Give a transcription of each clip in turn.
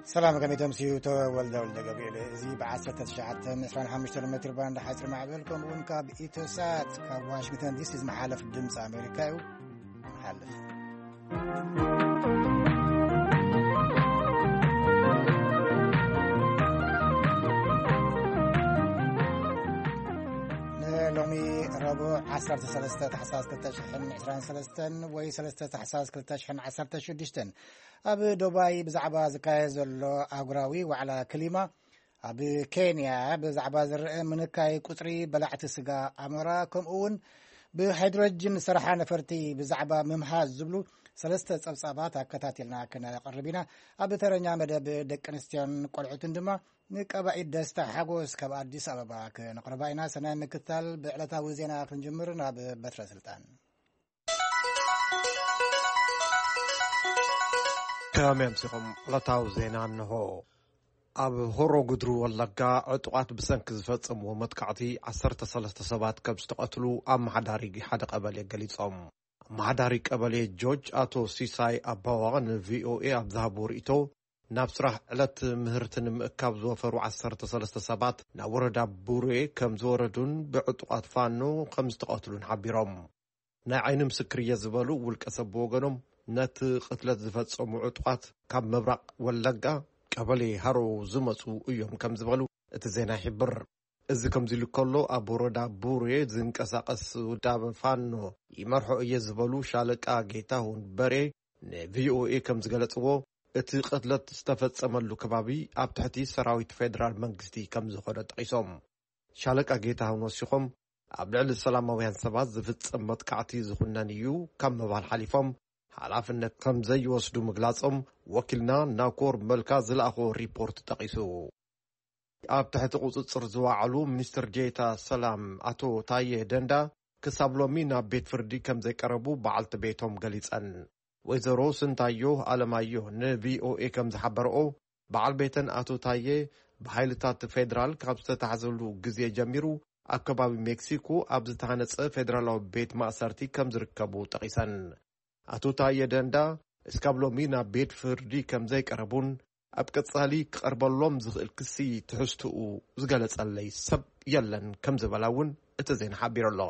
ሰላም፣ ከመይ ተምስዩ? ተወልደ ወልደ ገብርኤል። እዚ ብ1925 ሜትር ባንድ ሓፂር ማዕበል፣ ከምኡ እውን ካብ ኢትዮሳት ካብ ዋሽንግተን ዲሲ ዝመሓለፍ ድምፂ ኣሜሪካ እዩ። ንሓልፍ። ንሎሚ ረቡዕ 13 ታሕሳስ 2023 ወይ 3 ታሕሳስ 2016 ኣብ ዱባይ ብዛዕባ ዝካየድ ዘሎ ኣህጉራዊ ዋዕላ ክሊማ፣ ኣብ ኬንያ ብዛዕባ ዝረአ ምንካይ ቁጽሪ በላዕቲ ስጋ ኣሞራ፣ ከምኡ እውን ብሃይድሮጅን ዝሰርሓ ነፈርቲ ብዛዕባ ምምሃዝ ዝብሉ ሰለስተ ጸብጻባት ኣከታቲልና ክነቕርብ ኢና። ኣብ ተረኛ መደብ ደቂ ኣንስትዮን ቆልዑትን ድማ ንቀባኢት ደስታ ሓጎስ ካብ ኣዲስ ኣበባ ክነቕርባ ኢና። ሰናይ ምክታል። ብዕለታዊ ዜና ክንጅምር ናብ በትረ ስልጣን። ከመይ ኣምሲኹም? ዕለታዊ ዜና እንሆ። ኣብ ሆሮ ጉድሩ ወለጋ ዕጡቓት ብሰንኪ ዝፈጸምዎ መጥቃዕቲ 13 ሰባት ከም ዝተቐትሉ ኣመሓዳሪ ሓደ ቀበሌ ገሊጾም። ኣመሓዳሪ ቀበሌ ጆጅ ኣቶ ሲሳይ ኣባዋ ንቪኦኤ ኣብ ዝሃብዎ ርእይቶ፣ ናብ ስራሕ ዕለት ምህርቲ ንምእካብ ዝወፈሩ 13 ሰባት ናብ ወረዳ ቡሬ ከም ዝወረዱን ብዕጡቓት ፋኖ ከም ዝተቐትሉን ሓቢሮም። ናይ ዓይኒ ምስክር እየ ዝበሉ ውልቀ ሰብ ብወገኖም፣ ነቲ ቅትለት ዝፈጸሙ ዕጡቓት ካብ ምብራቕ ወለጋ ቀበሌ ሃሮ ዝመጹ እዮም ከም ዝበሉ እቲ ዜና ይሕብር። እዚ ከምዚ ኢሉ ከሎ፣ ኣብ ወረዳ ቡሬ ዝንቀሳቐስ ውዳበ ፋኖ ይመርሖ እየ ዝበሉ ሻለቃ ጌታሁን በሬ ንቪኦኤ ከም ዝገለጽዎ፣ እቲ ቅትለት ዝተፈጸመሉ ከባቢ ኣብ ትሕቲ ሰራዊት ፌደራል መንግስቲ ከም ዝኾነ ጠቒሶም። ሻለቃ ጌታሁን ወሲኾም፣ ኣብ ልዕሊ ሰላማውያን ሰባት ዝፍጸም መጥቃዕቲ ዝኹነን እዩ ካብ ምባል ሓሊፎም፣ ሓላፍነት ከም ዘይወስዱ ምግላጾም ወኪልና ናኮር መልካ ዝለኣኾ ሪፖርት ጠቒሱ። ኣብ ትሕቲ ቁጽጽር ዝወዓሉ ሚኒስትር ዴታ ሰላም ኣቶ ታየ ደንዳ ክሳብ ሎሚ ናብ ቤት ፍርዲ ከም ዘይቀረቡ በዓልቲ ቤቶም ገሊጸን። ወይዘሮ ስንታዮ ኣለማዮ ንቪኦኤ ከም ዝሓበረኦ፣ በዓል ቤተን ኣቶ ታየ ብሓይልታት ፌደራል ካብ ዝተታሕዘሉ ግዜ ጀሚሩ ኣብ ከባቢ ሜክሲኮ ኣብ ዝተሃነጸ ፌደራላዊ ቤት ማእሰርቲ ከም ዝርከቡ ጠቒሰን። ኣቶ ታየ ደንዳ እስካብ ሎሚ ናብ ቤት ፍርዲ ከም ዘይቀረቡን ኣብ ቀጻሊ ክቐርበሎም ዝኽእል ክሲ ትሕዝትኡ ዝገለጸለይ ሰብ የለን ከም ዝበላ እውን እቲ ዜና ሓቢሩ ኣሎ።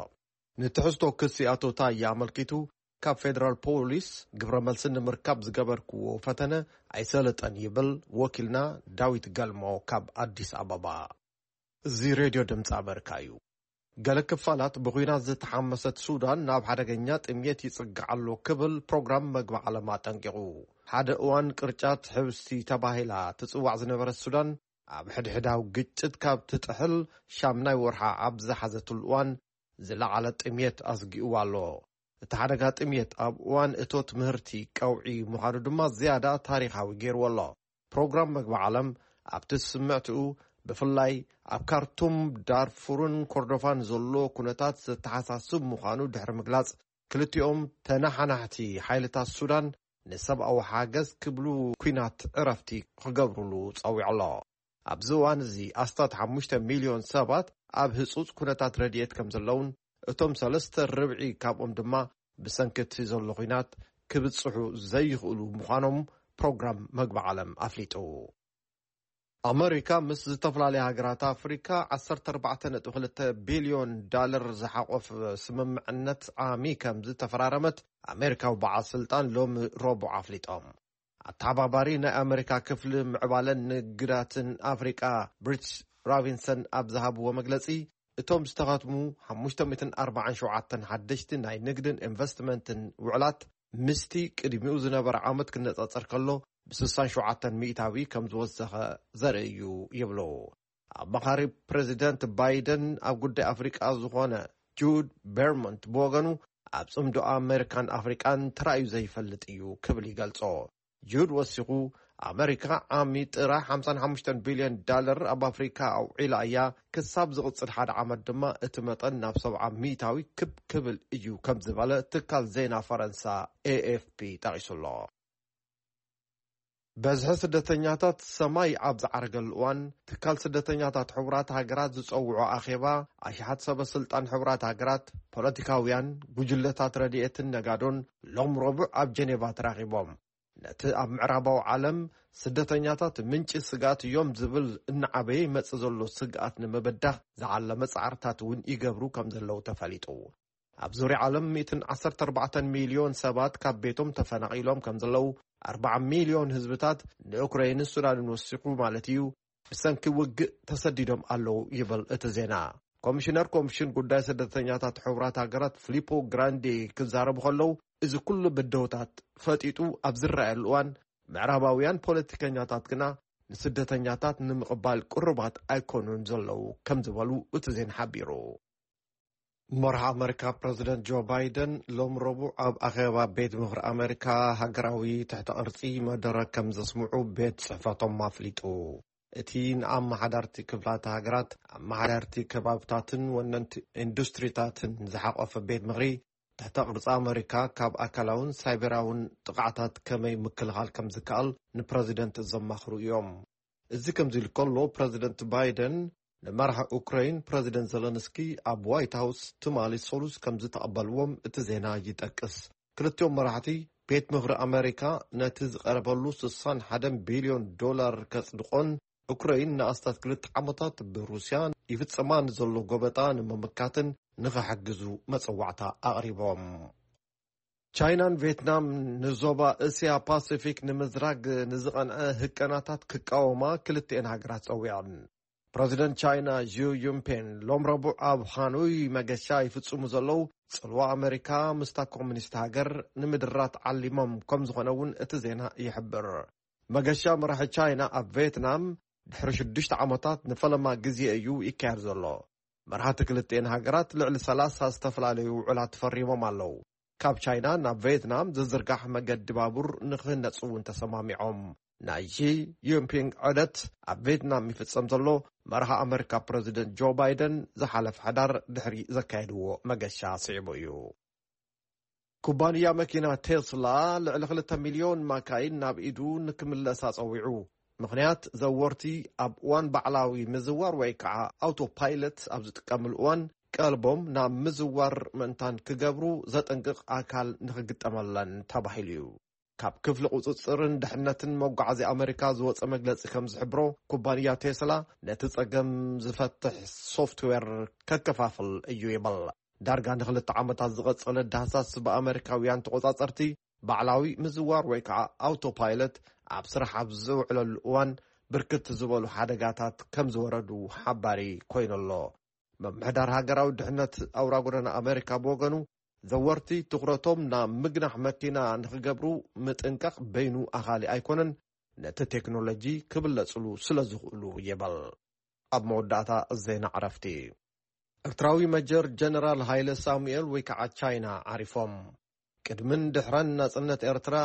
ንትሕዝቶ ክሲ ኣቶ ታየ ኣመልኪቱ ካብ ፌደራል ፖሊስ ግብረ መልሲ ንምርካብ ዝገበርክዎ ፈተነ ኣይሰለጠን ይብል ወኪልና ዳዊት ገልሞ ካብ ኣዲስ ኣበባ። እዚ ሬድዮ ድምፂ ኣመሪካ እዩ። ገለ ክፋላት ብኹናት ዝተሓመሰት ሱዳን ናብ ሓደገኛ ጥምየት ይጽጋዕ ኣሎ ክብል ፕሮግራም መግቢ ዓለም ኣጠንቂቑ። ሓደ እዋን ቅርጫት ሕብስቲ ተባሂላ ትጽዋዕ ዝነበረት ሱዳን፣ ኣብ ሕድሕዳዊ ግጭት ካብ ትጥሕል ሻምናይ ወርሓ ኣብ ዝሓዘትሉ እዋን ዝለዓለ ጥምየት ኣስጊእዋ ኣሎ። እቲ ሓደጋ ጥምየት ኣብ እዋን እቶት ምህርቲ ቀውዒ ምዃኑ ድማ ዝያዳ ታሪኻዊ ገይርዎ ኣሎ። ፕሮግራም መግቢ ዓለም ኣብቲ ስምዕትኡ፣ ብፍላይ ኣብ ካርቱም፣ ዳርፉርን ኮርዶፋን ዘሎ ኩነታት ዘተሓሳስብ ምዃኑ ድሕሪ ምግላጽ፣ ክልቲኦም ተነሓናሕቲ ሓይልታት ሱዳን ንሰብኣዊ ሓገዝ ክብሉ ኲናት ዕረፍቲ ክገብሩሉ ጸዊዑ ኣሎ። ኣብዚ እዋን እዚ ኣስታት 5 ሚልዮን ሰባት ኣብ ህጹጽ ኩነታት ረድኤት ከም ዘለውን፣ እቶም ሰለስተ ርብዒ ካብኦም ድማ ብሰንኪ እቲ ዘሎ ኲናት ክብጽሑ ዘይኽእሉ ምዃኖም ፕሮግራም መግቢ ዓለም ኣፍሊጡ። ኣመሪካ ምስ ዝተፈላለያ ሃገራት ኣፍሪካ 14.2 ቢልዮን ዳለር ዝሓቆፍ ስምምዕነት ዓሚ ከም ዝተፈራረመት ኣሜሪካዊ በዓል ስልጣን ሎሚ ረቡዕ ኣፍሊጦም። ኣተሓባባሪ ናይ ኣመሪካ ክፍሊ ምዕባለን ንግዳትን ኣፍሪቃ ብሪትስ ራቢንሰን ኣብ ዝሃብዎ መግለጺ፣ እቶም ዝተኸትሙ 547 ሓደሽቲ ናይ ንግድን ኢንቨስትመንትን ውዕላት ምስቲ ቅድሚኡ ዝነበረ ዓመት ክነጻጸር ከሎ ብ67 ሚእታዊ ከም ዝወሰኸ ዘርኢ እዩ ይብሉ። ኣማኻሪ ፕሬዚደንት ባይደን ኣብ ጉዳይ ኣፍሪቃ ዝኾነ ጁድ ቤርሞንት ብወገኑ፣ ኣብ ጽምዶ ኣሜሪካን ኣፍሪቃን ተራእዩ ዘይፈልጥ እዩ ክብል ይገልጾ። ጁድ ወሲኹ፣ ኣመሪካ ዓሚ ጥራይ 55 ቢልዮን ዳለር ኣብ ኣፍሪካ ኣውዒላ እያ፣ ክሳብ ዝቕጽል ሓደ ዓመት ድማ እቲ መጠን ናብ 70 ሚእታዊ ክብ ክብል እዩ ከም ዝበለ ትካል ዜና ፈረንሳ ኤኤፍፒ ጠቒሱ ኣሎ። በዝሒ ስደተኛታት ሰማይ ኣብ ዝዓረገሉ እዋን፣ ትካል ስደተኛታት ሕቡራት ሃገራት ዝጸውዖ ኣኼባ፣ ኣሽሓት ሰበ ስልጣን ሕቡራት ሃገራት፣ ፖለቲካውያን፣ ጉጅለታት ረድኤትን ነጋዶን ሎም ረቡዕ ኣብ ጀኔቫ ተራኺቦም። ነቲ ኣብ ምዕራባዊ ዓለም ስደተኛታት ምንጪ ስግኣት እዮም ዝብል እናዓበየ ይመጽእ ዘሎ ስግኣት ንምብዳህ ዝዓለመ ጻዕርታት እውን ይገብሩ ከም ዘለዉ ተፈሊጡ። ኣብ ዙርያ ዓለም ሚእትን ዓሰርተ ኣርባዕተን ሚልዮን ሰባት ካብ ቤቶም ተፈናቒሎም ከም ዘለዉ፣ ኣርባዓ ሚልዮን ህዝብታት ንኡክራይንን ሱዳንን ወሲኹ ማለት እዩ፣ ብሰንኪ ውግእ ተሰዲዶም ኣለዉ ይብል እቲ ዜና። ኮሚሽነር ኮሚሽን ጉዳይ ስደተኛታት ሕቡራት ሃገራት ፊሊፖ ግራንዴ ክዛረቡ ከለዉ፣ እዚ ኩሉ ብድሆታት ፈጢጡ ኣብ ዝረኣየሉ እዋን፣ ምዕራባውያን ፖለቲከኛታት ግና ንስደተኛታት ንምቕባል ቅሩባት ኣይኮኑን ዘለዉ ከም ዝበሉ እቲ ዜና ሓቢሩ። መርሒ ኣመሪካ ፕረዚደንት ጆ ባይደን ሎም ረቡዕ ኣብ ኣኼባ ቤት ምኽሪ ኣመሪካ ሃገራዊ ትሕተ ቅርጺ መደረ ከም ዘስምዑ ቤት ጽሕፈቶም ኣፍሊጡ። እቲ ንኣመሓዳርቲ ክፍላተ ሃገራት፣ ኣመሓዳርቲ ከባብታትን ወነንቲ ኢንዱስትሪታትን ዝሓቆፈ ቤት ምኽሪ ትሕተ ቅርጺ ኣመሪካ ካብ ኣካላውን ሳይበራውን ጥቕዓታት ከመይ ምክልኻል ከም ዝከኣል ንፕረዚደንት ዘማኽሩ እዮም። እዚ ከምዚ ኢሉ ከሎ፣ ፕረዚደንት ባይደን ንመራሒ ኡክራይን ፕረዚደንት ዘለንስኪ ኣብ ዋይት ሃውስ ትማሊ ሰሉስ ከም ዝተቐበልዎም እቲ ዜና ይጠቅስ። ክልቲኦም መራሕቲ ቤት ምኽሪ ኣመሪካ ነቲ ዝቐረበሉ ስሳን ሓደን ቢልዮን ዶላር ከጽድቆን ኡክራይን ንኣስታት ክልተ ዓመታት ብሩስያ ይፍጸማ ንዘሎ ጎበጣ ንምምካትን ንኽሕግዙ መጸዋዕታ ኣቕሪቦም። ቻይናን ቬትናም ንዞባ እስያ ፓሲፊክ ንምዝራግ ንዝቐንዐ ህቀናታት ክቃወማ ክልቲኤን ሃገራት ጸዊዐን። ፕረዚደንት ቻይና ዢ ዩምፔን ሎም ረቡዕ ኣብ ሃኖይ መገሻ ይፍጽሙ ዘለዉ፣ ጽልዋ ኣመሪካ ምስታ ኮሙኒስት ሃገር ንምድራት ዓሊሞም ከም ዝኾነ እውን እቲ ዜና ይሕብር። መገሻ መራሒ ቻይና ኣብ ቬትናም ድሕሪ ሽዱሽተ ዓመታት ንፈለማ ግዜ እዩ ይካየድ ዘሎ። መራሕቲ ክልቲኤን ሃገራት ልዕሊ ሰላሳ ዝተፈላለዩ ውዕላት ፈሪሞም ኣለዉ። ካብ ቻይና ናብ ቬትናም ዝዝርጋሕ መገዲ ባቡር ንክህነጽ እውን ተሰማሚዖም። ናይ ሺ ጂንፒንግ ዑደት ኣብ ቬትናም ይፍጸም ዘሎ፣ መራሒ ኣመሪካ ፕረዚደንት ጆ ባይደን ዝሓለፈ ሕዳር ድሕሪ ዘካየድዎ መገሻ ስዒቡ እዩ። ኩባንያ መኪና ቴስላ ልዕሊ ክልተ ሚልዮን ማካይን ናብ ኢዱ ንክምለሳ ጸዊዑ። ምኽንያት፣ ዘወርቲ ኣብ እዋን ባዕላዊ ምዝዋር ወይ ከዓ ኣውቶ ፓይለት ኣብ ዝጥቀምሉ እዋን፣ ቀልቦም ናብ ምዝዋር ምእንታን ክገብሩ ዘጠንቅቕ ኣካል ንክግጠመለን ተባሂሉ እዩ። ካብ ክፍሊ ቁጽጽርን ድሕነትን መጓዓዝያ ኣመሪካ ዝወጸ መግለጺ ከም ዝሕብሮ፣ ኩባንያ ቴስላ ነቲ ጸገም ዝፈትሕ ሶፍትዌር ከከፋፍል እዩ ይብል። ዳርጋ ንክልተ ዓመታት ዝቐጸለ ዳህሳስ ብኣመሪካውያን ተቖጻጸርቲ፣ ባዕላዊ ምዝዋር ወይ ከዓ ኣውቶፓይለት ኣብ ስራሕ ኣብ ዝውዕለሉ እዋን፣ ብርክት ዝበሉ ሓደጋታት ከም ዝወረዱ ሓባሪ ኮይኑ ኣሎ። ምምሕዳር ሃገራዊ ድሕነት ኣውራ ጎደና ኣመሪካ ብወገኑ፣ ዘወርቲ ትኹረቶም ናብ ምግናሕ መኪና ንክገብሩ ምጥንቃቕ በይኑ ኣኻሊ ኣይኮነን፣ ነቲ ቴክኖሎጂ ክብለጽሉ ስለ ዝኽእሉ ይብል። ኣብ መወዳእታ ዜና ዕረፍቲ። ኤርትራዊ መጀር ጀነራል ሃይለ ሳሙኤል ወይ ከዓ ቻይና ዓሪፎም። ቅድምን ድሕረን ናጽነት ኤርትራ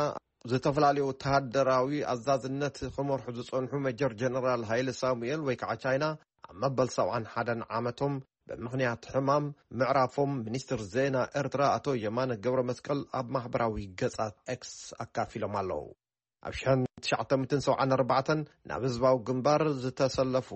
ዝተፈላለዩ ወተሃደራዊ ኣዛዝነት ክመርሑ ዝጸንሑ መጀር ጀነራል ሃይለ ሳሙኤል ወይ ከዓ ቻይና ኣብ መበል ሰብዓን ሓደን ዓመቶም ብምኽንያት ሕማም ምዕራፎም ሚኒስትር ዜና ኤርትራ ኣቶ የማነ ገብረ መስቀል ኣብ ማሕበራዊ ገጻት ኤክስ ኣካፊሎም ኣለዉ። ኣብ ሽሕን ትሽዓተ ሚእትን ሰብዓን ኣርባዕተን ናብ ህዝባዊ ግንባር ዝተሰለፉ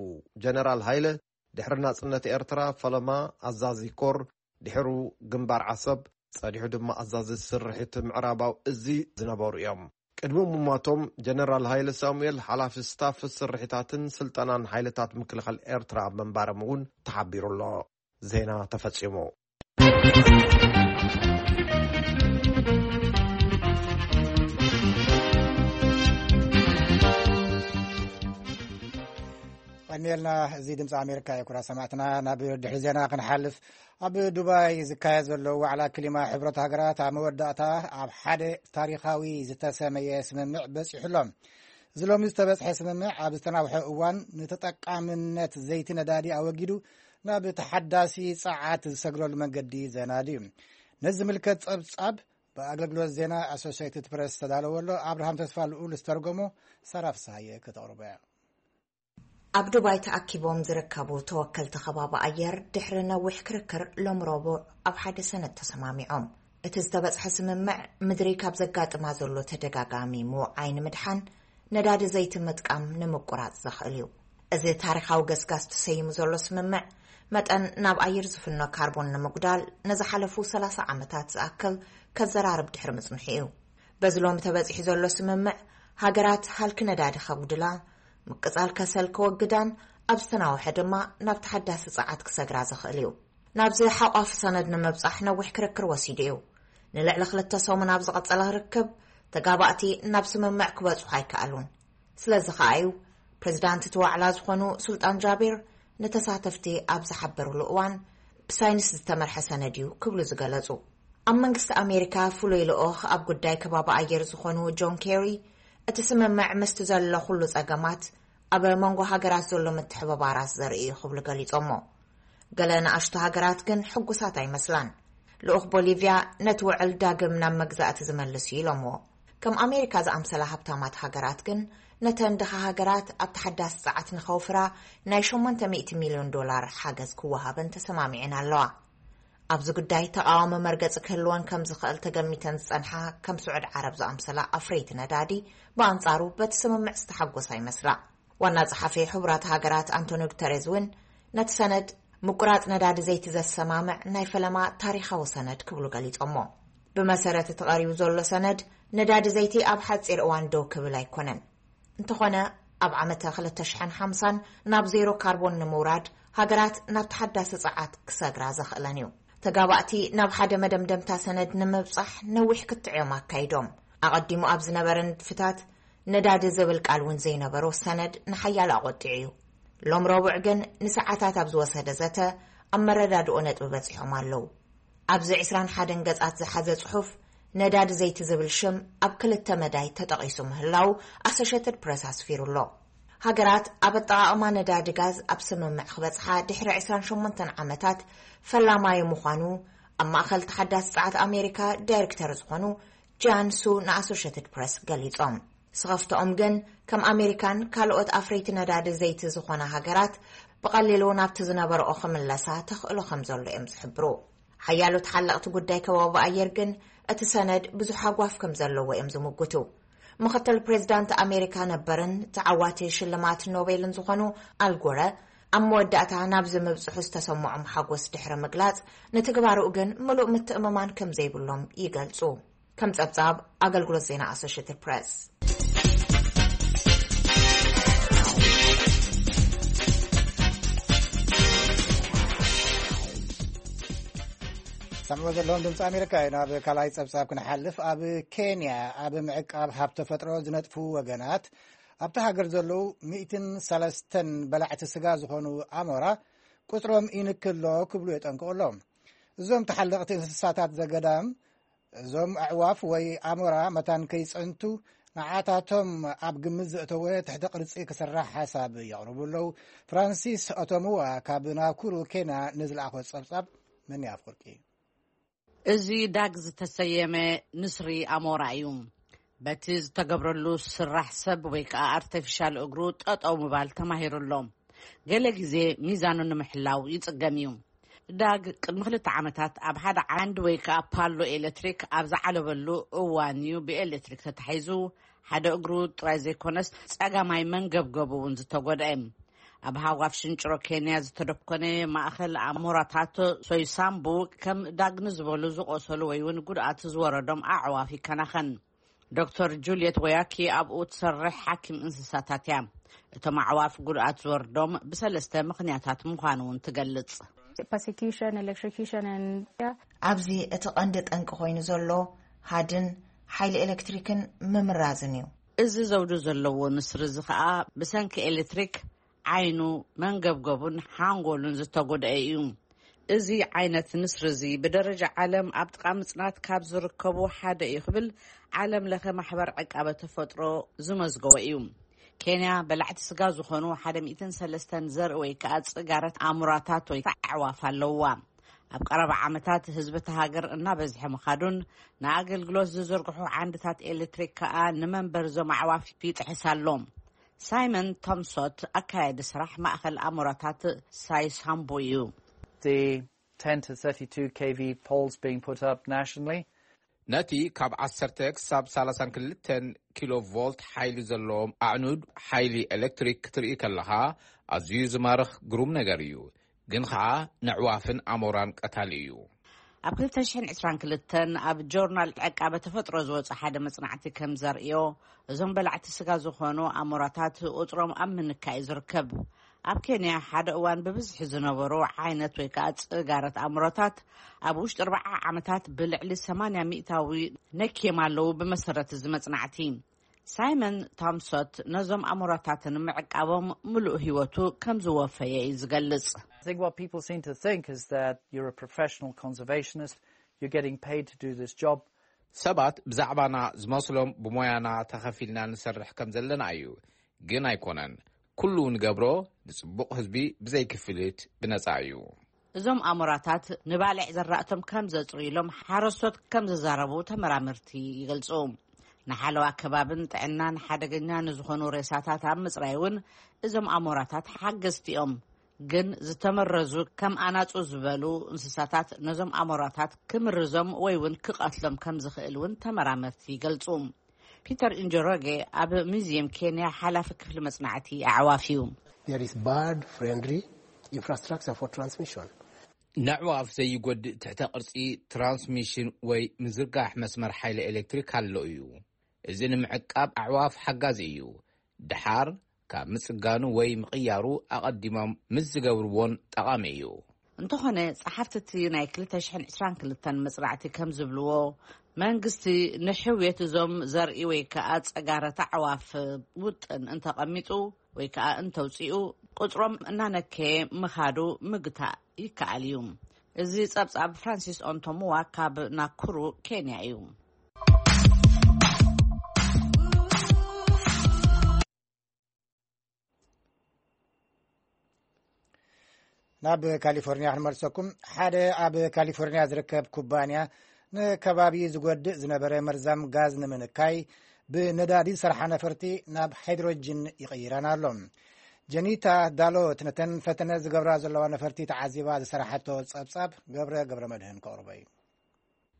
ጀነራል ሃይለ፣ ድሕሪ ናጽነት ኤርትራ ፈለማ ኣዛዚ ኮር፣ ድሕሩ ግንባር ዓሰብ፣ ጸኒሑ ድማ ኣዛዚ ስርሒት ምዕራባዊ እዚ ዝነበሩ እዮም። ቅድሚ ምሟቶም፣ ጀነራል ሃይለ ሳሙኤል ሓላፊ ስታፍ ስርሒታትን ስልጠናን ሓይልታት ምክልኻል ኤርትራ ምንባሮም እውን ተሓቢሩ ኣሎ። ዜና ተፈጺሙ። ቀኒልና፣ እዚ ድምፂ ኣሜሪካ እዩ። ኩራ ሰማዕትና፣ ናብ ድሕሪ ዜና ክንሓልፍ፣ ኣብ ዱባይ ዝካየድ ዘሎ ዋዕላ ክሊማ ሕብረት ሃገራት ኣብ መወዳእታ ኣብ ሓደ ታሪኻዊ ዝተሰመየ ስምምዕ በፂሑ ኣሎ። እዚ ሎሚ ዝተበፅሐ ስምምዕ ኣብ ዝተናውሐ እዋን ንተጠቃምነት ዘይቲ ነዳዲ ኣወጊዱ ናብ ተሓዳሲ ጸዓት ዝሰግረሉ መንገዲ ዘናዲ እዩ። ነዚ ዝምልከት ጸብጻብ ብኣገልግሎት ዜና ኣሶሲየትድ ፕረስ ዝተዳለወ ኣሎ። ኣብርሃም ተስፋ ልኡል ዝተርጎሞ፣ ሳራ ፍስሃየ ከተቕርቦ እያ። ኣብ ዱባይ ተኣኪቦም ዝርከቡ ተወከልቲ ከባቢ ኣየር ድሕሪ ነዊሕ ክርክር ሎም ረቡዕ ኣብ ሓደ ሰነድ ተሰማሚዖም። እቲ ዝተበጽሐ ስምምዕ ምድሪ ካብ ዘጋጥማ ዘሎ ተደጋጋሚ ምውዓይ ንምድሓን ነዳዲ ዘይቲ ምጥቃም ንምቁራጽ ዘኽእል እዩ። እዚ ታሪኻዊ ገስጋስ ተሰይሙ ዘሎ ስምምዕ መጠን ናብ ኣየር ዝፍኖ ካርቦን ንምጉዳል ንዝሓለፉ ሰላሳ ዓመታት ዝኣክል ከዘራርብ ድሕሪ ምጽንሑ እዩ። በዚ ሎሚ ተበጺሑ ዘሎ ስምምዕ ሃገራት ሃልኪ ነዳዲ ከጉድላ፣ ምቅጻል ከሰል ከወግዳን ኣብ ዝተናውሐ ድማ ናብ ተሓዳሲ ጸዓት ክሰግራ ዘኽእል እዩ። ናብዚ ሓቋፊ ሰነድ ንምብጻሕ ነዊሕ ክርክር ወሲዱ እዩ። ንልዕሊ ክልተ ሰሙን ኣብ ዝቐጸለ ርክብ፣ ተጋባእቲ ናብ ስምምዕ ክበጽሑ ኣይከኣሉን። ስለዚ ከኣ እዩ ፕሬዚዳንት እቲ ዋዕላ ዝኾኑ ሱልጣን ጃቢር ንተሳተፍቲ ኣብ ዝሓበሩሉ እዋን፣ ብሳይንስ ዝተመርሐ ሰነድ እዩ ክብሉ ዝገለጹ። ኣብ መንግስቲ ኣሜሪካ ፍሉይ ልኡኽ ኣብ ጉዳይ ከባቢ ኣየር ዝኾኑ ጆን ኬሪ፣ እቲ ስምምዕ ምስቲ ዘሎ ኩሉ ጸገማት ኣብ መንጎ ሃገራት ዘሎ ምትሕብባራት ዘርኢ እዩ ክብሉ ገሊጾሞ። ገለ ንኣሽቱ ሃገራት ግን ሕጉሳት ኣይመስላን። ልኡኽ ቦሊቪያ ነቲ ውዕል ዳግም ናብ መግዛእቲ ዝመልስ እዩ ኢሎምዎ። ከም ኣሜሪካ ዝኣምሰላ ሃብታማት ሃገራት ግን ነተን ድኻ ሃገራት ኣብ ተሓዳሲ ጸዓት ንኸውፍራ ናይ ሸሞንተ ሚእቲ ሚልዮን ዶላር ሓገዝ ክወሃበን ተሰማሚዐን ኣለዋ። ኣብዚ ጉዳይ ተቓዋሚ መርገጺ ክህልወን ከም ዝኽእል ተገሚተን ዝጸንሓ ከም ስዑድ ዓረብ ዝኣምሰላ ኣፍረይቲ ነዳዲ ብኣንጻሩ በቲ ስምምዕ ዝተሓጎሳ ይመስላ። ዋና ጸሓፊ ሕቡራት ሃገራት ኣንቶኒ ጉተሬዝ እውን ነቲ ሰነድ ምቁራጽ ነዳዲ ዘይቲ ዘሰማምዕ ናይ ፈለማ ታሪኻዊ ሰነድ ክብሉ ገሊጾሞ። ብመሰረት እቲ ቀሪቡ ዘሎ ሰነድ፣ ነዳዲ ዘይቲ ኣብ ሓጺር እዋን ደው ክብል ኣይኮነን። እንተኾነ፣ ኣብ ዓመተ ክልተ ሽሕን ሓምሳን ናብ ዜሮ ካርቦን ንምውራድ ሃገራት ናብ ተሓዳሲ ጸዓት ክሰግራ ዘኽእለን እዩ። ተጋባእቲ ናብ ሓደ መደምደምታ ሰነድ ንምብጻሕ ነዊሕ ክትዕ እዮም ኣካይዶም። ኣቐዲሙ ኣብ ዝነበረ ንድፍታት ነዳዲ ዝብል ቃል እውን ዘይነበሮ ሰነድ ንሓያሎ ኣቖጢዑ እዩ። ሎም ረቡዕ ግን ንሰዓታት ኣብ ዝወሰደ ዘተ ኣብ መረዳድኦ ነጥቢ በጺሖም ኣለዉ። ኣብዚ ዕስራን ሓደን ገጻት ዝሓዘ ጽሑፍ፣ ነዳዲ ዘይቲ ዝብል ሽም ኣብ ክልተ መዳይ ተጠቒሱ ምህላው ኣሶሼትድ ፕረስ ኣስፊሩ ኣሎ። ሃገራት ኣብ ኣጠቓቕማ ነዳዲ ጋዝ ኣብ ስምምዕ ክበጽሓ ድሕሪ ዕስራን ሸሞንተን ዓመታት ፈላማይ ምዃኑ ኣብ ማእከል ተሓዳሲ ጸዓት ኣሜሪካ ዳይሬክተር ዝኾኑ ጃን ሱ ንኣሶሼትድ ፕረስ ገሊጾም። ስኸፍትኦም ግን ከም ኣሜሪካን ካልኦት ኣፍረይቲ ነዳዲ ዘይቲ ዝኾና ሃገራት ብቐሊሉ ናብቲ ዝነበረኦ ክምለሳ ተኽእሎ ከም ዘሎ እዮም ዝሕብሩ። ሓያሎ ተሓለቕቲ ጉዳይ ከባቢ ኣየር ግን እቲ ሰነድ ብዙሕ ሃጓፍ ከም ዘለዎ እዮም ዝምጉቱ። ምኽትል ፕሬዚዳንት ኣሜሪካ ነበርን ተዓዋቲ ሽልማት ኖቤልን ዝኾኑ ኣልጎረ ኣብ መወዳእታ ናብዚ ምብጽሑ ዝተሰምዖም ሓጎስ ድሕሪ ምግላጽ፣ ንትግባርኡ ግን ምሉእ ምትእምማን ከም ዘይብሎም ይገልጹ። ከም ጸብጻብ ኣገልግሎት ዜና ኣሶሽትድ ፕረስ። ሰምዑ ዘለኹም ድምፂ ኣሜሪካ እዩ። ናብ ካልኣይ ጸብጻብ ክንሓልፍ፣ ኣብ ኬንያ ኣብ ምዕቃብ ሃብቲ ተፈጥሮ ዝነጥፉ ወገናት ኣብቲ ሃገር ዘለዉ ሚእትን ሰለስተን በላዕቲ ስጋ ዝኾኑ ኣሞራ ቁጽሮም ይንክሎ ክብሉ የጠንቅቑ ኣለዉ። እዞም ተሓለቕቲ እንስሳታት ዘገዳም፣ እዞም ኣዕዋፍ ወይ ኣሞራ መታን ከይጸንቱ ንዓታቶም ኣብ ግምት ዘእተወ ትሕተ ቅርጺ ክስራሕ ሓሳብ የቕርቡ ኣለዉ። ፍራንሲስ ኦቶሙዋ ካብ ናኩሩ ኬንያ ንዝለኣኾ ጸብጻብ መን ኣፍቅርቂ። እዚ ዳግ ዝተሰየመ ንስሪ ኣሞራ እዩ። በቲ ዝተገብረሉ ስራሕ ሰብ ወይ ከዓ ኣርተፊሻል እግሩ ጠጠው ምባል ተማሂሩ ኣሎ። ገለ ግዜ ሚዛኑ ንምሕላው ይጽገም እዩ። ዳግ ቅድሚ ክልተ ዓመታት ኣብ ሓደ ዓንዲ ወይ ከዓ ፓሎ ኤሌክትሪክ ኣብ ዝዓለበሉ እዋን እዩ ብኤሌክትሪክ ተታሒዙ ሓደ እግሩ ጥራይ ዘይኮነስ ጸጋማይ መንገብገቡ እውን ዝተጎድአ። ኣብ ሃጓፍ ሽንጭሮ ኬንያ ዝተደኮነ ማእኸል ኣሞራታት ሶይሳምቡ ከም ዳግኒ ዝበሉ ዝቆሰሉ ወይ እውን ጉድኣት ዝወረዶም ኣዕዋፍ ይከናኸን። ዶክተር ጁልየት ወያኪ ኣብኡ ትሰርሕ ሓኪም እንስሳታት እያ። እቶም ኣዕዋፍ ጉድኣት ዝወርዶም ብሰለስተ ምኽንያታት ምዃኑ እውን ትገልጽ። Persecution, electrocution, and yeah. ኣብዚ እቲ ቀንዲ ጠንቂ ኮይኑ ዘሎ ሃድን ሓይሊ ኤሌክትሪክን ምምራዝን እዩ። እዚ ዘውዲ ዘለዎ ንስሪ እዚ ኸኣ ብሰንኪ ኤሌክትሪክ ዓይኑ፣ መንገብገቡን ሓንጎሉን ዝተጎድአ እዩ። እዚ ዓይነት ንስሪ እዚ ብደረጃ ዓለም ኣብ ጥቓ ምጽናት ካብ ዝርከቡ ሓደ እዩ ክብል ዓለም ለኸ ማሕበር ዕቃበ ተፈጥሮ ዝመዝገቦ እዩ። ኬንያ በላዕቲ ስጋ ዝኾኑ ሓደ ሚእትን ሰለስተን ዘርኢ ወይ ከዓ ጽጋረት ኣሙራታት ወይ ኣዕዋፍ ኣለውዋ። ኣብ ቀረባ ዓመታት ህዝቢ እታ ሃገር እናበዝሐ ምኻዱን ንኣገልግሎት ዝዝርግሑ ዓንድታት ኤሌክትሪክ ከዓ ንመንበሪ እዞም ኣዕዋፍ ይጥሕስ ኣሎ። ሳይመን ቶምሶት ኣካያዲ ስራሕ ማእኸል ኣሞራታት ሳይሳምቡ እዩ። The ten to thirty-two K V poles being put up nationally. ነቲ ካብ ዓሰርተ ክሳብ ሰላሳን ክልተን ኪሎ ቮልት ሓይሊ ዘለዎም ኣዕኑድ ሓይሊ ኤሌክትሪክ ክትርኢ ከለኻ ኣዝዩ ዝማርኽ ግሩም ነገር እዩ። ግን ኸኣ ንዕዋፍን ኣሞራን ቀታሊ እዩ። ኣብ ክልተ ሽሕን ዕስራን ክልተን ኣብ ጆርናል ዕቃበ ተፈጥሮ ዝወጸ ሓደ መጽናዕቲ ከም ዘርእዮ፣ እዞም በላዕቲ ስጋ ዝኾኑ ኣሞራታት ቁጽሮም ኣብ ምንካይ እዩ ዝርከብ። ኣብ ኬንያ ሓደ እዋን ብብዝሒ ዝነበሩ ዓይነት ወይ ከዓ ጽጋረት ኣሞራታት ኣብ ውሽጢ ኣርባዓ ዓመታት ብልዕሊ ሰማንያ ሚእታዊ ነክዮም ኣለዉ። ብመሰረት እዚ መጽናዕቲ፣ ሳይመን ታምሶት ነዞም ኣሞራታትን ምዕቃቦም ምሉእ ህይወቱ ከም ዝወፈየ እዩ ዝገልጽ። I think what people seem to think is that you're a professional conservationist, you're getting paid to do this job. ሰባት ብዛዕባና ዝመስሎም ብሞያና ተኸፊልና ንሰርሕ ከም ዘለና እዩ፣ ግን ኣይኮነን። ኩሉ ንገብሮ ንጽቡቕ ህዝቢ ብዘይ ክፍሊት ብነጻ እዩ። እዞም ኣሞራታት ንባልዕ ዘራእቶም ከም ዘጽርዩሎም ሓረስቶት ከም ዘዛረቡ ተመራመርቲ ይገልጹ። ንሓለዋ ከባብን ጥዕናን ሓደገኛ ንዝኾኑ ሬሳታት ኣብ ምጽራይ እውን እዞም ኣሞራታት ሓገዝቲ እዮም። ግን ዝተመረዙ ከም ኣናጹ ዝበሉ እንስሳታት ነዞም ኣሞራታት ክምርዞም ወይ እውን ክቐትሎም ከም ዝኽእል እውን ተመራመርቲ ይገልጹ። ፒተር እንጆሮጌ ኣብ ሙዚየም ኬንያ ሓላፊ ክፍሊ መጽናዕቲ ኣዕዋፍ እዩ። There is bird friendly infrastructure for transmission. ነዕዋፍ ዘይጎድእ ትሕተ ቅርጺ ትራንስሚሽን ወይ ምዝርጋሕ መስመር ሓይሊ ኤሌክትሪክ ኣሎ እዩ። እዚ ንምዕቃብ ኣዕዋፍ ሓጋዚ እዩ። ድሓር ካብ ምጽጋኑ ወይ ምቕያሩ ኣቐዲሞም ምስ ዝገብርዎን ጠቓሚ እዩ። እንተኾነ፣ ጸሓፍቲ እቲ ናይ ክልተ ሽሕን ዕስራን ክልተን መጽናዕቲ ከም ዝብልዎ፣ መንግስቲ ንሕውየት እዞም ዘርኢ ወይ ከኣ ጸጋረት ኣዕዋፍ ውጥን እንተቐሚጡ ወይ ከኣ እንተውጽኡ፣ ቁጽሮም እናነከየ ምኻዱ ምግታእ ይከኣል እዩ። እዚ ጸብጻብ ፍራንሲስ ኦንቶሙዋ ካብ ናኩሩ ኬንያ እዩ። ናብ ካሊፎርኒያ ክንመልሰኩም። ሓደ ኣብ ካሊፎርኒያ ዝርከብ ኩባንያ ንከባቢ ዝጎድእ ዝነበረ መርዛም ጋዝ ንምንካይ ብነዳዲ ዝሰርሓ ነፈርቲ ናብ ሃይድሮጅን ይቕይረን ኣሎ። ጀኒታ ዳሎት ነተን ፈተነ ዝገብራ ዘለዋ ነፈርቲ ተዓዚባ ዝሰራሓቶ ጸብጻብ ገብረ ገብረ መድህን ከቕርቦ እዩ።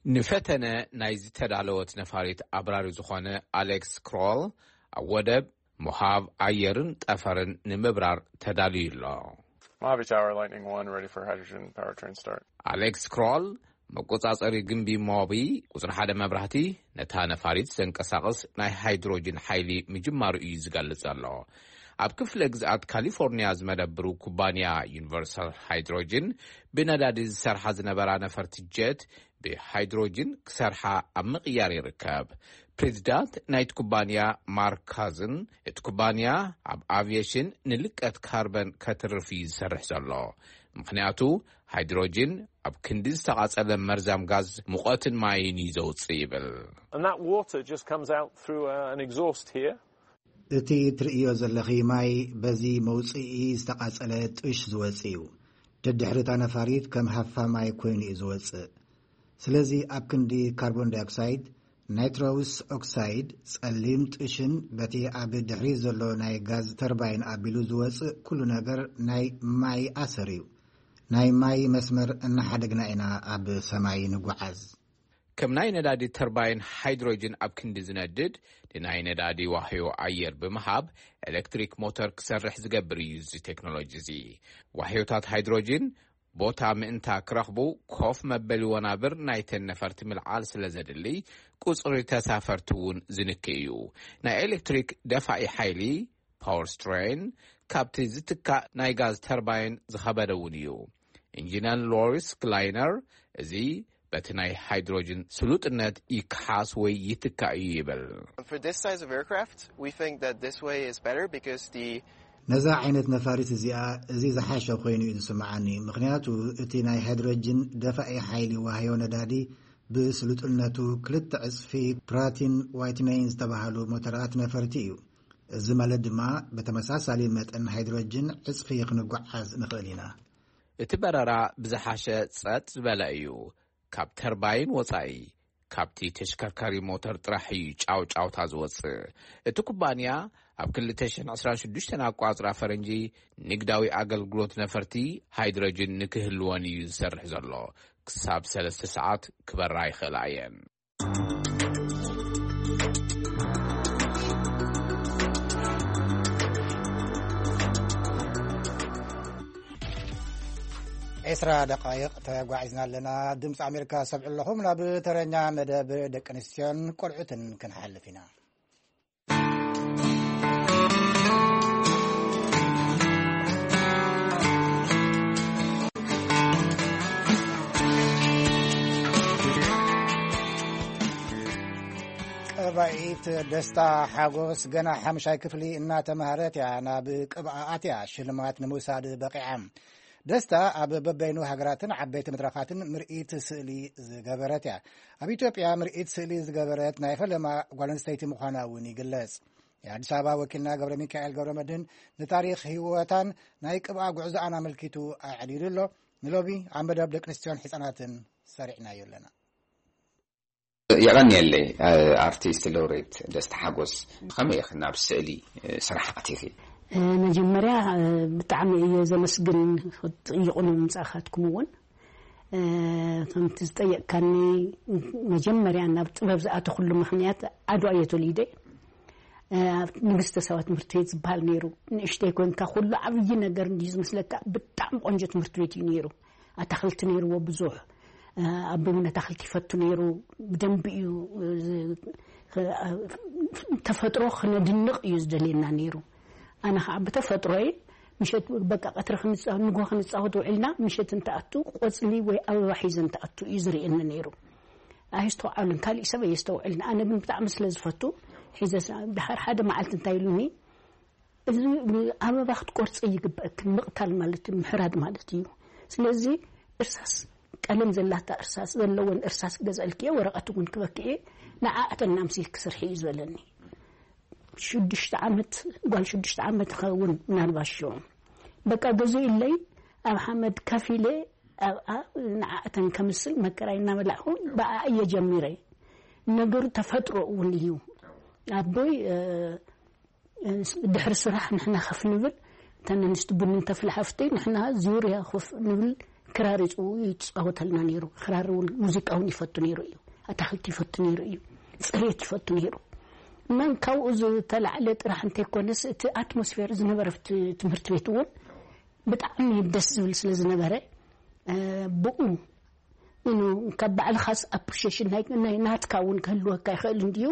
ንፈተነ ናይ ዝተዳለወት ነፋሪት ኣብራሪ ዝኾነ ኣሌክስ ክሮል ኣብ ወደብ ምሃብ ኣየርን ጠፈርን ንምብራር ተዳልዩ ኣሎ። Mojave Tower, Lightning One, ready for hydrogen powertrain start. ኣሌክስ ክሮል መቆጻጸሪ ግንቢ ሞቢ ቁጽሪ ሓደ መብራህቲ ነታ ነፋሪት ዘንቀሳቕስ ናይ ሃይድሮጅን ሓይሊ ምጅማሩ እዩ ዝገልጽ ዘሎ። ኣብ ክፍለ ግዝኣት ካሊፎርኒያ ዝመደብሩ ኩባንያ ዩኒቨርሳል ሃይድሮጅን ብነዳዲ ዝሰርሓ ዝነበራ ነፈርቲ ጀት ብሃይድሮጅን ክሰርሓ ኣብ ምቕያር ይርከብ። ፕሬዚዳንት ናይቲ ኩባንያ ማርክ ካዝን፣ እቲ ኩባንያ ኣብ ኣቪየሽን ንልቀት ካርበን ከትርፍ እዩ ዝሰርሕ ዘሎ፣ ምኽንያቱ ሃይድሮጅን ኣብ ክንዲ ዝተቓጸለ መርዛም ጋዝ ሙቐትን ማይን እዩ ዘውጽእ ይብል። And that water just comes out through uh, an exhaust here. እቲ ትርእዮ ዘለኺ ማይ በዚ መውጽኢ ዝተቓጸለ ጥሽ ዝወጽእ እዩ። ደድሕሪ እታ ነፋሪት ከም ሃፋ ማይ ኮይኑ እዩ ዝወጽእ። ስለዚ ኣብ ክንዲ ካርቦን ዳይኦክሳይድ፣ ናይትሮስ ኦክሳይድ፣ ጸሊም ጥሽን በቲ ኣብ ድሕሪት ዘሎ ናይ ጋዝ ተርባይን ኣቢሉ ዝወጽእ ኩሉ ነገር ናይ ማይ ኣሰር እዩ። ናይ ማይ መስመር እናሓደግና ኢና ኣብ ሰማይ ንጓዓዝ። ከም ናይ ነዳዲ ተርባይን ሃይድሮጅን ኣብ ክንዲ ዝነድድ፣ ንናይ ነዳዲ ዋህዮ ኣየር ብምሃብ ኤሌክትሪክ ሞተር ክሰርሕ ዝገብር እዩ እዚ ቴክኖሎጂ እዚ። ዋህዮታት ሃይድሮጅን ቦታ ምእንታ ክረኽቡ፣ ኮፍ መበሊ ወናብር ናይተን ነፈርቲ ምልዓል ስለ ዘድሊ፣ ቁጽሪ ተሳፈርቲ እውን ዝንክእ እዩ። ናይ ኤሌክትሪክ ደፋኢ ሓይሊ፣ ፓወር ስትሬን፣ ካብቲ ዝትካእ ናይ ጋዝ ተርባይን ዝኸበደ እውን እዩ። ኢንጂነር ሎሪስ ግላይነር፣ እዚ በቲ ናይ ሃይድሮጅን ስሉጥነት ይከሓስ ወይ ይትካእ እዩ ይብል። For this size of aircraft, we think that this way is better because the ነዛ ዓይነት ነፋሪት እዚኣ እዚ ዝሓሸ ኮይኑ እዩ ዝስምዓኒ። ምኽንያቱ እቲ ናይ ሃይድሮጅን ደፋኢ ሓይሊ ዋህዮ ነዳዲ ብስሉጥነቱ ክልተ ዕጽፊ ፕራቲን ዋይትነይን ዝተባህሉ ሞተራት ነፈርቲ እዩ። እዚ ማለት ድማ ብተመሳሳሊ መጠን ሃይድሮጅን ዕጽፊ ክንጓዓዝ ንኽእል ኢና። እቲ በረራ ብዝሓሸ ጸጥ ዝበለ እዩ። ካብ ተርባይን ወጻኢ፣ ካብቲ ተሽከርካሪ ሞተር ጥራሕ እዩ ጫውጫውታ ዝወጽእ። እቲ ኩባንያ ኣብ ክልተ ሽሕን ዕስራን ሽዱሽተን ኣቋጽራ ፈረንጂ ንግዳዊ ኣገልግሎት ነፈርቲ ሃይድሮጅን ንክህልወን እዩ ዝሰርሕ ዘሎ። ክሳብ ሰለስተ ሰዓት ክበራ ይኽእላ እየን። ዕስራ ደቃይቕ ተጓዒዝና ኣለና። ድምፂ ኣሜሪካ ሰምዑ ኣለኹም። ናብ ተረኛ መደብ ደቂ ኣንስትዮን ቆልዑትን ክንሓልፍ ኢና። ቀባኢት ደስታ ሓጎስ ገና ሓምሻይ ክፍሊ እናተምሃረት እያ ናብ ቅብኣ ኣትያ ሽልማት ንምውሳድ በቂዓ። ደስታ ኣብ በበይኑ ሃገራትን ዓበይቲ መድረኻትን ምርኢት ስእሊ ዝገበረት እያ። ኣብ ኢትዮጵያ ምርኢት ስእሊ ዝገበረት ናይ ፈለማ ጓል ኣንስተይቲ ምዃና እውን ይግለጽ። የኣዲስ ኣበባ ወኪልና ገብረ ሚካኤል ገብረ መድህን ንታሪኽ ህይወታን ናይ ቅብኣ ጉዕዞኣን ኣመልኪቱ ኣዕሊሉ ኣሎ። ንሎሚ ኣብ መደብ ደቂ ኣንስትዮን ሕጻናትን ሰሪዕናዮ ኣለና። የቐንየለይ። ኣርቲስት ሎሬት ደስታ ሓጎስ፣ ከመይ ኢኺ ናብ ስእሊ ስራሕ ኣቲኺ? መጀመርያ ብጣዕሚ እየ ዘመስግን፣ ክትጥይቑኒ ምምፃእካትኩም እውን። ከምቲ ዝጠየቅካኒ፣ መጀመርያ ናብ ጥበብ ዝኣተኹሉ ምኽንያት ዓድዋ እየ ተወሊደ። ኣብ ንግስተ ሳባ ትምህርቲ ቤት ዝበሃል ነይሩ። ንእሽተይ ኮንካ ኩሉ ዓብዪ ነገር እንድዩ ዝመስለካ። ብጣዕሚ ቆንጆ ትምህርቲ ቤት እዩ ነይሩ። ኣታኽልቲ ነይርዎ ብዙሕ። ኣቦይ እውን ኣታኽልቲ ይፈቱ ነይሩ። ብደንቢ እዩ፣ ተፈጥሮ ክነድንቕ እዩ ዝደልየና ነይሩ። ኣነ ከዓ ብተፈጥሮይ ምሸት በቃ ቀትሪ ክንፃወት፣ ንጎ ክንፃወት ውዒልና፣ ምሸት እንትኣቱ ቆፅሊ ወይ ኣበባ ሒዘ እንትኣቱ እዩ ዝርእየኒ ነይሩ። ኣይስተውዓሉን፣ ካሊእ ሰብ ኣየስተውዕልን። ኣነ ግን ብጣዕሚ ስለ ዝፈቱ ሒዘ፣ ድሓር ሓደ መዓልቲ እንታይ ኢሉኒ፣ እዚ ኣበባ ክትቆርፂ ይግበእክን፣ ምቕታል ማለት እዩ፣ ምሕራድ ማለት እዩ። ስለዚ እርሳስ፣ ቀለም ዘላታ እርሳስ ዘለወን እርሳስ ክገዝአልክየ፣ ወረቐት እውን ክበክየ፣ ንዓኣተን ኣምሲልኪ ስርሒ እዩ ዝበለኒ። ሽዱሽተ ዓመት፣ ጓል ሽዱሽተ ዓመት ትኸውን ምናልባት ሽዑ። በቃ ገዚኡለይ፣ ኣብ ሓመድ ከፊለ ኣብኣ ንዓኣተን ከምስል መከራይ እናበላዕኹ ብኣ እየ ጀሚረ። ነገሩ ተፈጥሮ እውን እዩ። ኣቦይ ድሕሪ ስራሕ ንሕና ከፍ ንብል፣ እተን ኣንስቲ ቡን እንተፍልሓ ፍተይ፣ ንሕና ዙርያ ኮፍ ንብል። ክራር ይጽው ይጻወተልና ነይሩ። ክራር እውን ሙዚቃ እውን ይፈቱ ነይሩ እዩ። ኣታኽልቲ ይፈቱ ነይሩ እዩ። ጽሬት ይፈቱ ነይሩ። እና ካብኡ ዝተላዕለ ጥራሕ እንተይኮነስ፣ እቲ ኣትሞስፌር ዝነበረ ኣብቲ ትምህርቲ ቤት እውን ብጣዕሚ ደስ ዝብል ስለ ዝነበረ፣ ብኡ፣ you know፣ ካብ ባዕልኻስ ኣፕሪሺየሽን ናይ ናትካ እውን ክህልወካ ይኽእል እንድዩ።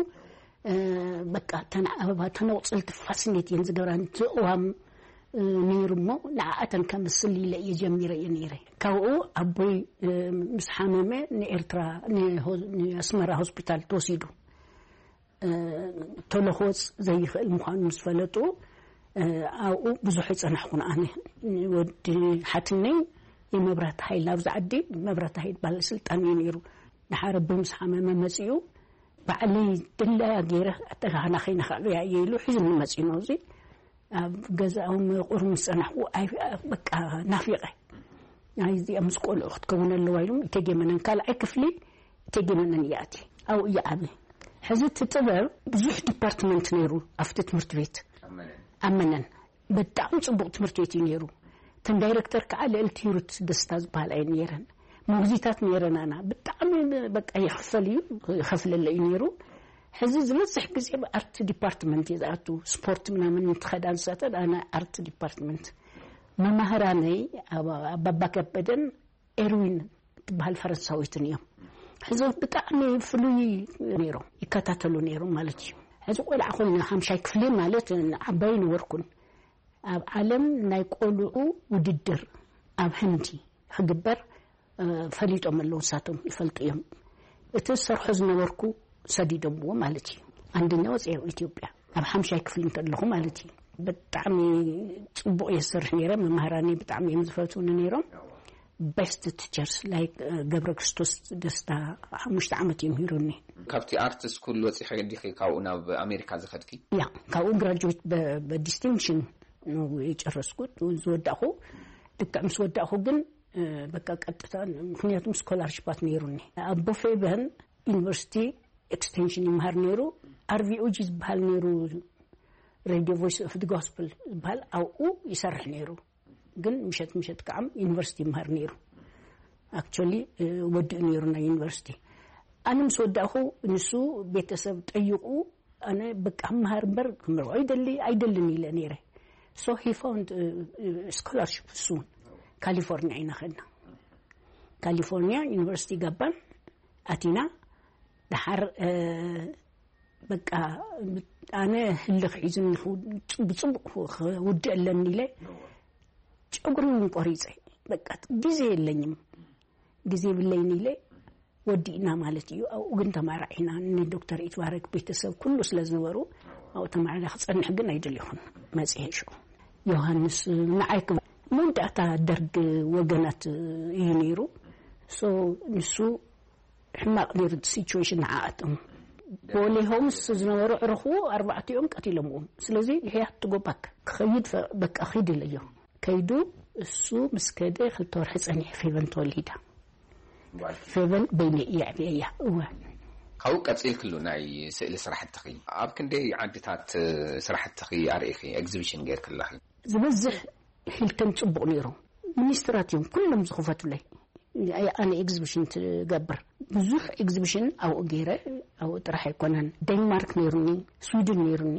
በቃ እተን ኣበባ፣ እተን ኣቑፅልቲ ፋሲኔት እየን ዝገብራን፣ እቲ ቅዋም ነይሩ እሞ፣ ንዓኣተን ከምስል ኢለ እየ ጀሚረ እየ ነይረ። ካብኡ ኣቦይ ምስ ሓመመ ንኤርትራ፣ ንኣስመራ ሆስፒታል ተወሲዱ። ቶሎ ክወፅ ዘይኽእል ምዃኑ ምስ ፈለጡ፣ ኣብኡ ብዙሕ ኣይፀናሕኩን። ኣነ፣ ወዲ ሓትነይ የመብራት ሃይል፣ ኣብዚ ዓዲ መብራት ሃይል ባለስልጣን እዩ ነይሩ። ንሓረቢ ምስ ሓመመ መፂኡ፣ ባዕለይ ድላያ ገይረ ኣተካህና ከይነ ከዕብያ እየ ኢሉ ሒዙኒ መፂኡ ናብዚ። ኣብ ገዛኦም ቁሩብ ምስ ፀናሕኩ፣ ኣይ፣ በቃ ናፊቐ። ኣይ፣ እዚኣ ምስ ቆልዑ ክትከውን ኣለዋ ኢሎም፣ እቴጌ መነን ካልኣይ ክፍሊ፣ እቴጌ መነን እያ ኣትየ። ኣብኡ እየ ዓብየ። ሕዚ እቲ ጥበብ ብዙሕ ዲፓርትመንት ነይሩ ኣብቲ ትምህርቲ ቤት። ኣብ መነን። ብጣዕሚ ፅቡቕ ትምህርቲ ቤት እዩ ነይሩ። እተን ዳይረክተር ከዓ ልዕልቲ ሂሩት ደስታ ዝበሃላ እየን ነይረን። መጉዚታት ነይረናና። ብጣዕሚ በቃ ይኽፈል እዩ፣ ይኸፍለለ እዩ ነይሩ። ሕዚ ዝበዝሕ ግዜ ኣብ ኣርት ዲፓርትመንት እየ ዝኣቱ። ስፖርት ምናምን እንትኸዳ ንሳተን፣ ኣነ ኣርት ዲፓርትመንት። መማህራነይ ኣባ-፣ ኣባባ ከበደን ኤርዊን ትበሃል ፈረንሳዊትን እዮም። ሕዚ ብጣዕሚ ፍሉይ ነይሮም፣ ይከታተሉ ነይሮም ማለት እዩ። ሕዚ ቆልዓ ኮይነ ሓምሻይ ክፍሊ ማለት ዓባይ ነበርኩን። ኣብ ዓለም ናይ ቆልዑ ውድድር ኣብ ህንዲ ክግበር፣ እ፣ ፈሊጦም ኣለዉ፣ ንሳቶም ይፈልጡ እዮም። እቲ ዝሰርሖ ዝነበርኩ ሰዲዶምዎ ማለት እዩ። ኣንደኛ ወፅኤ ኢትዮጵያ ኣብ ሓምሻይ ክፍሊ እንከለኹ ማለት እዩ። ብጣዕሚ ፅቡቕ እየ ዝሰርሕ ነይረ። መማህራኒ ብጣዕሚ እዮም ዝፈትውኒ ነይሮም። ቤስት ቲቸርስ ላይክ ገብረ ክርስቶስ ደስታ ሓሙሽተ ዓመት እዮም ሂሩኒ። ካብቲ ኣርት ስኩል ወፂኺ ዲኺ ካብኡ ናብ ኣሜሪካ ዝኸድኪ? ያ፣ ካብኡ ግራጁዌት በዲስቲንክሽን የጨረስኩት። ዝወዳእኹ፣ ልክዕ ምስ ወዳእኹ ግን፣ እ፣ በቃ ቀጥታ፣ ምክንያቱም ስኮላርሽፓት ነይሩኒ። ኣቦ ፌበን ዩኒቨርሲቲ ኤክስቴንሽን ይምሃር ነይሩ። ኣርቪኦጂ ዝበሃል ነይሩ፣ ሬድዮ ቮይስ ኦፍ ዲ ጎስፕል ዝበሃል፣ ኣብኡ ይሰርሕ ነይሩ። ግን ምሸት ምሸት ከዓ ዩኒቨርሲቲ ይምሃር ነይሩ። ኣክቹዋሊ፣ እ፣ ወዲኡ ነይሩ ናይ ዩኒቨርሲቲ። ኣነ ምስ ወዳእኹ ንሱ ቤተሰብ ጠይቑ፣ ኣነ በቃ ምሃር እምበር ክምርዖ ይደሊ ኣይደልን ኢለ ነይረ። So he found, እ፣ እ፣ ስኮላርሽፕ እሱ እውን ካሊፎርኒያ ኢና ኸድና። ካሊፎርኒያ ዩኒቨርሲቲ ገባን ኣቲና። ደሓር በቃ ኣነ ህልኽ ሒዙኒ ብፅቡቅ ክውድእ ኣለኒ ኢለ ጨጉሪ እውን ቆሪፀ። በቃ ግዜ የለኝም፣ ግዜ የብለይን ኢለ ወዲእና ማለት እዩ። ኣብኡ ግን ተማራዒና። ንዶክተር ኢትባረክ ቤተሰብ ኩሉ ስለ ዝነበሩ ኣብኡ ተማሪና። ክፀንሕ ግን ኣይደልኹን። መፅሄ ሽዑ ዮሃንስ ንዓይ መወዳእታ ደርግ ወገናት እዩ ነይሩ። ንሱ ሕማቕ ነይሩ ሲቹዌሽን ንዓኣቶም። ቦሌ ሆምስ ዝነበሩ ዕርኹ ኣርባዕቲኦም ቀቲሎምዎም። ስለዚ ይሕያት ትጎባክ ክኸይድ በቃ ኺድ ኢለዮ። ከይዱ እሱ ምስ ከደ ክልተ ወርሒ ጸኒሑ ፌቨን ተወሊዳ። ፌቨን በይነ እየ ዕብየያ። እወ። ካብኡ ቀፂልክሉ ናይ ስእሊ ስራሕትኺ ኣብ ክንደይ ዓድታት ስራሕትኺ ኣርእኺ? ኤግዚቢሽን ጌርክለኺ? ዝበዝሕ ሂልተን ጽቡቕ ነይሩ። ሚኒስትራት እዮም ኩሎም ዝኽፈቱለይ። ኣነ ኤግዚቢሽን ትገብር ብዙሕ ኤግዚቢሽን ኣብኡ ገይረ። ኣብኡ ጥራሕ ኣይኮነን፣ ዴንማርክ ነይሩኒ፣ ስዊድን ነይሩኒ፣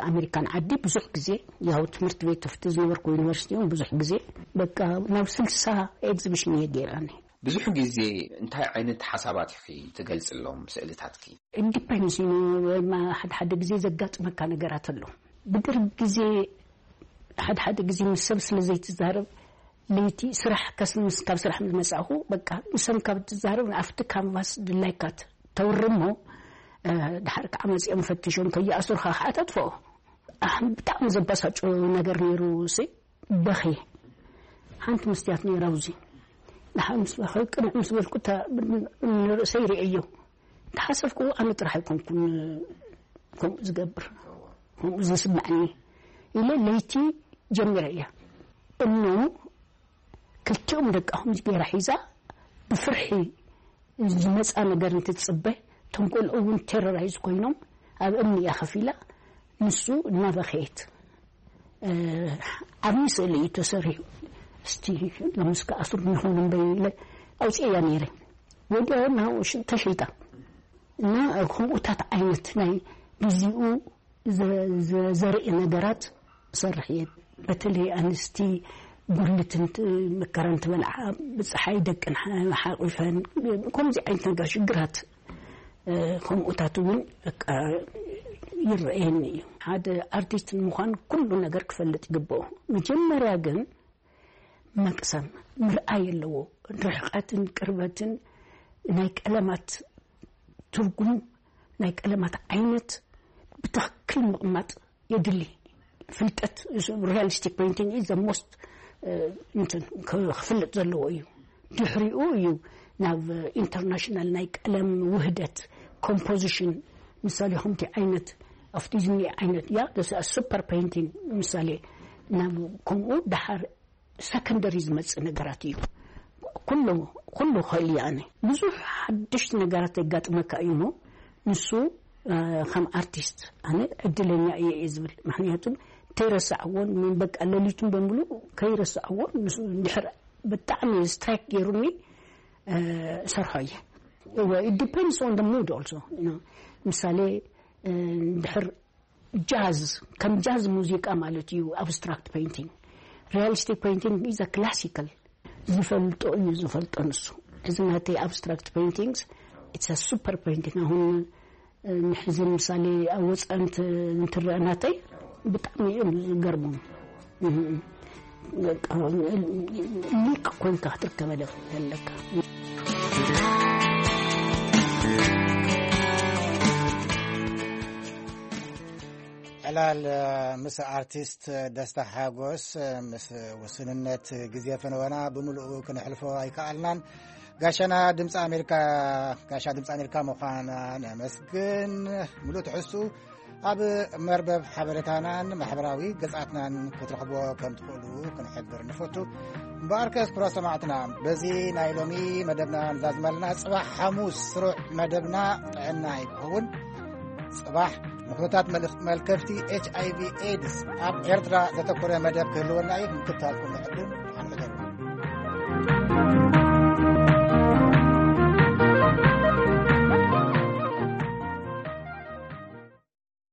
ኣሜሪካን ዓዲ ብዙሕ ግዜ። ያው ትምህርቲ ቤት ተፍቲ ዝነበርኩ ዩኒቨርሲቲ እውን ብዙሕ ግዜ በቃ ናብ ስልሳ ኤግዚቢሽን እየ ገይራኒ። ብዙሕ ግዜ እንታይ ዓይነት ሓሳባት ኢኺ ትገልፅሎም ስእልታትኪ? ኢንዲፐንስ ሓደ ሓደ ግዜ ዘጋጥመካ ነገራት ኣሎ። ብደርግ ግዜ ሓደ ሓደ ግዜ ምስ ሰብ ስለ ዘይትዛረብ ለይቲ ስራሕ ከስምስ ካብ ስራሕ ምስ መጻእኹ በቃ ንሰም ካብ ትዛረብ ኣብቲ ካንቫስ ድላይካ ተውርሞ ድሓር ከዓ መጺኦም ፈትሾም ከይኣስሩኻ ከዓ ተጥፍኦ። ብጣዕሚ ዘባሳጩ ነገር ነይሩ። ሲ በኺ ሓንቲ መስትያት ነይራ ኣብዚ ድሓር ምስ በኸ ቅንዕ ምስ በልኩ ንርእሰይ ርእዮ ተሓሰብኩ። ኣነ ጥራሕ ኣይኮንኩን ከምኡ ዝገብር ከምኡ ዝስምዐኒ ኢለ ለይቲ ጀሚረ እያ። እኖ ክልቲኦም ደቃኹም ገይራ ሒዛ ብፍርሒ ዝመፃ ነገር እንትትፅበ እቶም ቆልዑ እውን ቴሮራይዝ ኮይኖም ኣብ እምኒ እያ ከፊላ። ንሱ እናበኸየት ዓብዪ ስእሊ እዩ ተሰሪሑ። እስቲ ሎምስ ከኣስሩ ንኾኑ እምበይ ኢለ ኣውፅኤያ ነይረ። ወዲያው ተሸይጣ እና ከምኡታት ዓይነት ናይ ግዚኡ ዘርኢ ነገራት እሰርሕ እየ። በተለይ ኣንስቲ ጉልትን መከራን ትበልዓ ብፀሓይ ደቅን ሓቂፈን ከምዚ ዓይነት ነገር ሽግራት ከምኡታት እውን በቃ ይረኣየኒ እዩ። ሓደ ኣርቲስት ንምዃን ኩሉ ነገር ክፈልጥ ይግብኦ። መጀመርያ ግን መቅሰም ምርኣይ ኣለዎ። ርሕቀትን ቅርበትን ናይ ቀለማት ትርጉም ናይ ቀለማት ዓይነት ብትኽክል ምቕማጥ የድሊ። ፍልጠት ሪያሊስቲክ ፔይንቲንግ ኢዝ ዘ ሞስት እንትን ክፍልጥ ዘለዎ እዩ። ድሕሪኡ እዩ ናብ ኢንተርናሽናል ናይ ቀለም ውህደት ኮምፖዚሽን ምሳሌ ከምቲ ዓይነት ኣብቲ ዝኒኤ ዓይነት ያ ሱፐር ፔይንቲንግ ምሳሌ ናብ ከምኡ ደሓር ሰከንደሪ ዝመፅእ ነገራት እዩ። ኩሉ ኩሉ ክእል እየ ኣነ ብዙሕ ሓደሽቲ ነገራት የጋጥመካ እዩ እሞ ንሱ ከም ኣርቲስት ኣነ ዕድለኛ እየ እየ ዝብል። ምክንያቱ ከይረሳዕዎን በቃ ለሊቱን በሙሉ ከይረሳዕዎ ንሱ እንድሕር ብጣዕሚ ስትራይክ ገይሩኒ ሰርሖ እየ። It depends on the mood also. ምሳሌ እንድሕር ጃዝ ከም ጃዝ ሙዚቃ ማለት እዩ። ኣብስትራክት ፔይንቲንግ ሪያሊስቲክ ፔይንቲንግ ኢዝ ክላሲካል ዝፈልጦ እዩ ዝፈልጦ ንሱ። እዚ ናተይ ኣብስትራክት ፔይንቲንግስ ኢትስ ሱፐር ፔይንቲንግ። ኣሁን ንሕዚ ምሳሌ ኣብ ወፃኢ እንትረአ ናተይ ብጣዕሚ እዮም ዝገርሙ። ሊቅ ኮይንካ ክትርከበለ ኣለካ። ዕላል ምስ ኣርቲስት ደስታ ሓጎስ ምስ ውስንነት ግዜ ፈነወና ብምልኡ ክንሕልፎ ኣይከኣልናን። ጋሻና ድምፂ ኣሜሪካ ጋሻ ድምፂ ኣሜሪካ ምዃና ነመስግን። ምሉእ ትሕዝቱ ኣብ መርበብ ሓበሬታናን ማሕበራዊ ገጻትናን ክትረኽቦ ከም ትኽእሉ ክንሕብር ንፈቱ። እምበኣርከስ ክቡራት ሰማዕትና በዚ ናይ ሎሚ መደብና ንዛዝመልና። ጽባሕ ሓሙስ ስሩዕ መደብና ጥዕና ይክኸውን። ጽባሕ ንኩነታት መልከፍቲ ኤች ኣይ ቪ ኤድስ ኣብ ኤርትራ ዘተኮረ መደብ ክህልወና እዩ። ምክታልኩም ንዕድም ኣንዕደሩ።